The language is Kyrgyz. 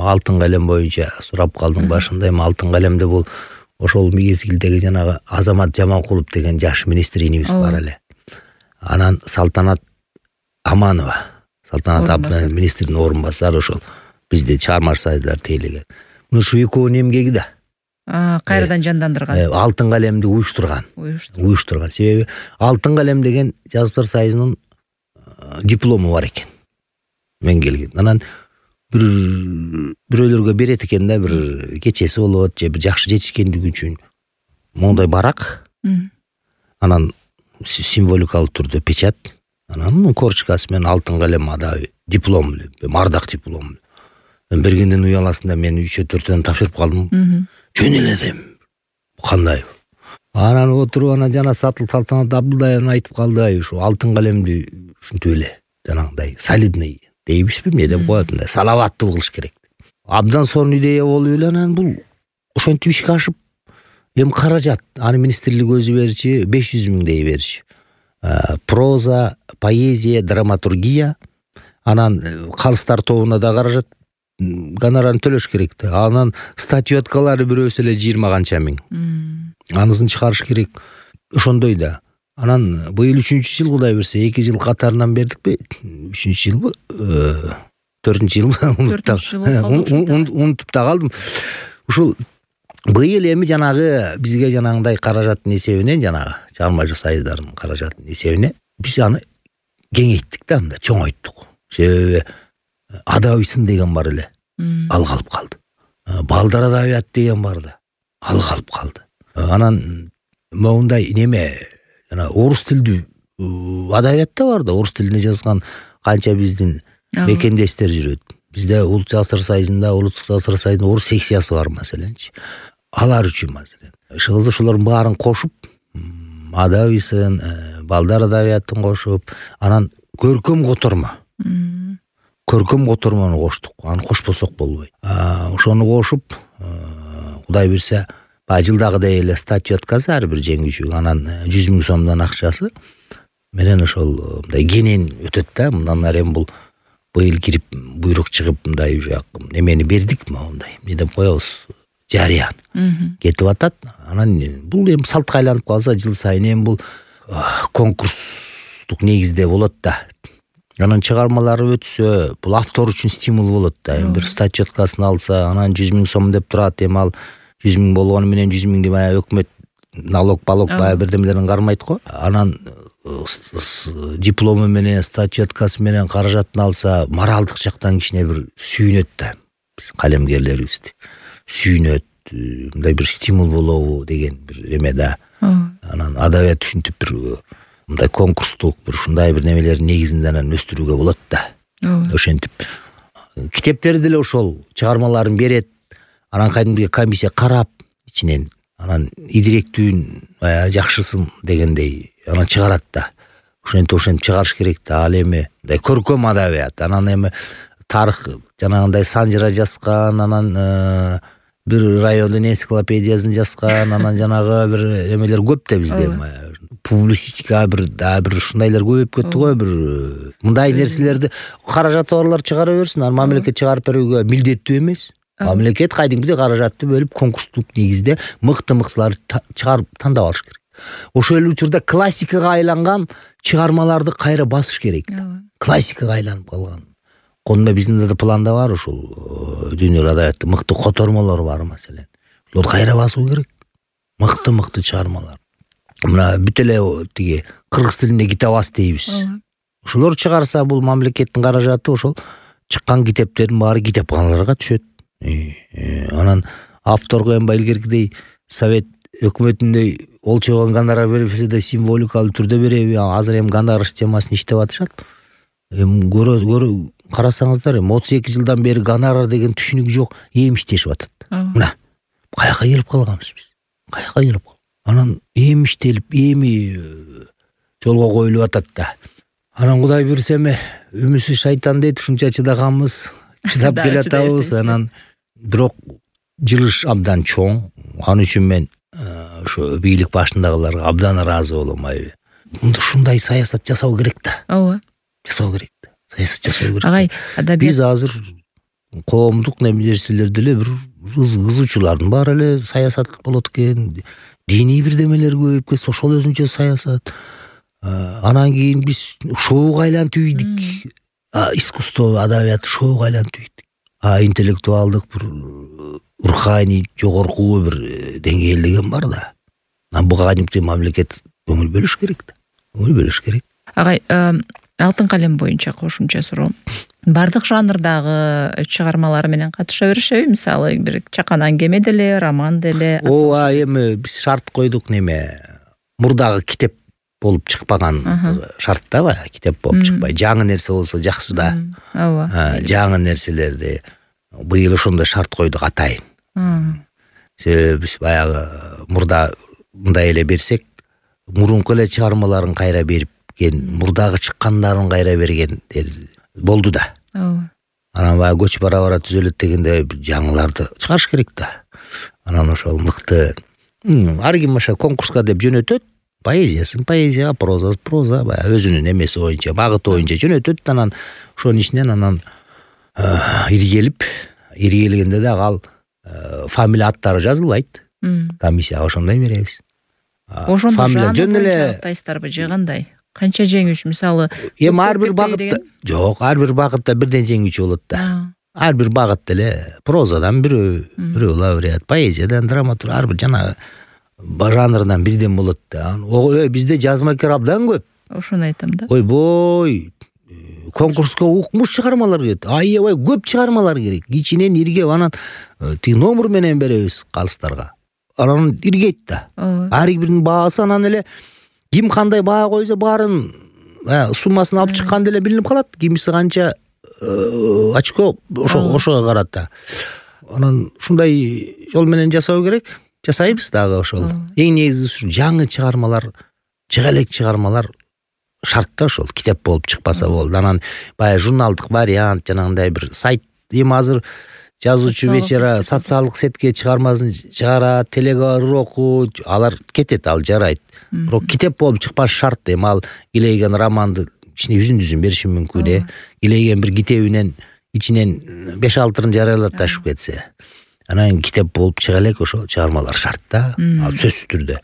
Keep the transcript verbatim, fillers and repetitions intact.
алтын калем боюнча сурап калдың башында. Эми алтын калемде бул ошол мезгилдеги жанагы Азамат Жаманкулов деген жаш министрибиз бар эле. Анан Салтанат Аманова, Салтанат Абдан министрдин орун басары ошол бизде чыгармачы союздар тейлеген. Мына ушу экөөнүн эмгеги да кайрадан жандандырган. Алтын калемди уюштурган. Уюштурган. Себеби алтын калем деген жазуучулар союзунун диплому бар экен. Мен келген. Анан бир бирөөлөргө берет экен да, бир кечеси болот, же бир жакшы жетишкендиги үчүн мондай барак. Анан символикалык түрдө печат. Анан корчкасы менен алтын калем ада диплом, мардак диплом. Мен бергенден уяласында мен үч төртөн тапшырып калдым. Жөн эле дем. Кандай? Анан отуруп анан жана Сатыл Салтанат Абдылдаевна айтып калды, ушу алтын калемди ушинтип эле жанагындай солидный дейбизби, эмне деп коет, мындай салаваттуу кылыш керек. Абдан сонун идея болуп эле анан бул ошентип ишке ашып, эми каражат, аны министрлик өзү берчи, беш жүз миңдей берчи. Проза, поэзия, драматургия, анан калыстар тобуна да каражат, гонорарын төлөш керек да. Анан статьёткалары бирөөсү эле жыйырма канча миң. Анысын чыгарыш керек. Ошондой да. Анан быйыл үчүнчү жыл, Кудай берсе, эки жыл катарынан бердикпи? үчүнчү жылбы? төртүнчү жылбы? Унутуп да калдым. Ушул быйыл эми жанагы бизге жанагындай каражаттын эсебинен, жанагы чыгармачы союздардын каражаттын эсебине биз аны кеңейттик да, мындай чоңойттук. Себеби Адабисын деген бар эле. Ал калып калды. Балдар адабият деген бар да. Ал калып калды. Анан моундай неме, жана орус тилдүү адабият да бар да, орус тилине жазган канча биздин мекендештер жүрөт. Бизде Улут Жазуучулар союзунда, Улуттук Жазуучулар союзунда орус секциясы бар маселенчи. Алар үчүн маселен. Иши ошолордун баарын кошуп, Адабисын, балдар адабиятын кошуп, анан көркөм котормо. Көркөм котормону коштук. Аны кошпосок болбойт. Ошону кошуп, Кудай берсе, жылдагыдай эле статьёткасы ар бир жеңүүчү, анан жүз миң сомдон акчасы менен ошол мындай кенен өтөт да. Мындан ары эми бул быйыл кирип буйрук чыгып мындай уже немени бердик, мондай эмне деп коебуз, жарыян кетип атат. Анан бул эми салтка айланып калса, жыл сайын эми бул конкурстук негизде болот да. Анан чыгармалары өтсө, бул автор үчүн стимул болот да. Эми бир статьёткасын алса, анан жүз миң сом деп турат, эми ал жүз миң болгону менен жүз миңди баягы өкмөт налог, балог баягы бирдемелерин кармайт го. Анан диплому менен, статьёткасы менен каражатын алса, моралдык жактан кичине бир сүйүнөт да. Биз калемгерлерибизди сүйүнөт, мындай бир стимул болобу деген бир эме да. Анан адабият ушинтип бир мындай конкурстук бир ушундай бир немелердин негизинде анан өстүрүүгө болот да. Ошентип китептерди деле ошол чыгармаларын берет. Анан кайдымгы комиссия карап ичинен, анан идиректүүн жакшысын дегендей анан чыгарат да. Ошентип ошентип чыгарыш керек да. Ал эми мындай көркөм адабият, анан эми тарых жанагындай санжыра жазган, анан бир райондун энциклопедиясын жазган, анан жанагы бир эмелер көп да бизде. Публицистика бир да бир ушундайлар көбөйүп кетти го, бир мындай нерселерди каражаты барлар чыгара берсин. Анан мамлекет чыгарып берүүгө милдеттүү эмес. Мамлекет кайдымгыдай каражатты бөлүп конкурстук негизде мыкты-мыктыларды чыгарып тандап алыш керек. Ошол эле учурда классикага айланган чыгармаларды кайра басыш керек. Классикага айланып калган. Конда биздин да планда бар ушул дүйнөлүк адабиятта мыкты котормолор бар маселен. Ошол кайра басуу керек. Мыкты-мыкты чыгармалар. Мына бүт эле тиги кыргыз тилинде китабас дейбиз. Ошолор чыгарса, бул мамлекеттин каражаты ошол чыккан китептердин баары китепканаларга түшөт. Анан авторго эми илгеркидей совет өкмөтүндөй олчогон гонорар бербесе да символикалык түрдө береби? Азыр эми гонорар системасын иштеп атышат. Эми көрө карасаңыздар, эми отуз эки жылдан бери гонорар деген түшүнүк жок, эми иштешип атат. Мына каяка келип калганбыз биз? Каяка келип калганбыз? Анан эми иштелип, эми жолго коюлуп атат да. Анан Кудай буйрса эми үмүсү шайтан дейт, ушунча чыдаганбыз, чыдап келатабыз. Анан бирок жылыш абдан чоң. Ал үчүн мен ошо бийлик башындагыларга абдан ыраазы болом. Айбы. Ушундай саясат жасоо керек да. Ооба. Жасоо керек да. Саясат жасоо керек. Агай, адабият биз азыр коомдук нерселер деле бир кызуучулардын баары эле саясат болот экен, диний бирдемелер көбөйүп кетсе ошол өзүнчө саясат. Анан кийин биз шоуга айлантып ийдик. Искусство, адабият шоуга айлантып ийдик. А интеллектуалдык бир руханий жогорку бир деңгээл деген бар да. Буга кантип мамлекет көңүл бөлүш керек да. Көңүл бөлүш керек. Агай, Алтын калем боюнча кошумча суроо. Бардык жанрдагы чыгармалар менен катыша беришеби? Мисалы, бир чаканан кеме деле, роман деле. Ооба, эми биз шарт койдук неме. Мурдагы китеп болуп чыкпаган шарт да баягы, китеп болуп чыкпай. Жаңы нерсе болсо жакшы да. Ооба. Жаңы нерселерди быйыл ошондой шарт койдук атайын. Себеби биз баягы мурда мындай эле берсек, мурунку эле чыгармаларын кайра берип мурдагы чыккандарын кайра берген болду да. Ооба. Анан баягы көч бара бара түзөлөт дегенде жаңыларды чыгарыш керек да. Анан ошол мыкты ар ким ошо конкурска деп жөнөтөт, поэзиясын поэзия, проза проза, баягы өзүнүн эмеси боюнча, багыты боюнча жөнөтөт. Анан ошонун ичинен анан иргелип, иргелгенде дагы ал фамилия аттары жазылбайт. Комиссияга ошондой беребиз. Ошондо жөн эле тайстарбы же кандай? Канча жеңүүчү, мисалы, эми ар бир багытта жок, ар бир багытта бирден жеңүүчү болот да. Ар бир багыт деле прозадан бирөө, бирөө лауреат, поэзиядан, драматург, ар бир жана жанрдан бирден болот да. Ой, бизде жазмакер абдан көп. Ошону айтам да. Ойбой, конкурска укмуш чыгармалар келет. Аябай көп чыгармалар керек. Ичинен иргеп, анан тиги номер менен беребиз калыстарга. Анан иргейт да. Ар биринин баасы анан эле ким кандай баа койсо баарын суммасын алып чыккан деле билинип калат. Кимиси канча очко ошо ошого карат да. Анан ушундай жол менен жасоо керек. Жасайбыз дагы ошол. Эң негизгиси жаңы чыгармалар, чыга элек чыгармалар шарт да ошол. Китеп болуп чыкпаса болду. Анан баягы журналдык вариант, жанагындай бир сайт. Эми азыр жазуучу вечера социалдык сетке чыгармасын чыгарат, телегороку, алар кетет, ал жарайт. Бирок китеп болуп чыкпаш шарт. Эми ал келейген романды ичине үзүн-үзүн бериши мүмкүн э. Келейген бир китебинен ичинен беш алтырын жарыялап ташып кетсе. Анан китеп болуп чыга элек ошол чыгармалар шарт да. Ал сөзсүз түрдө.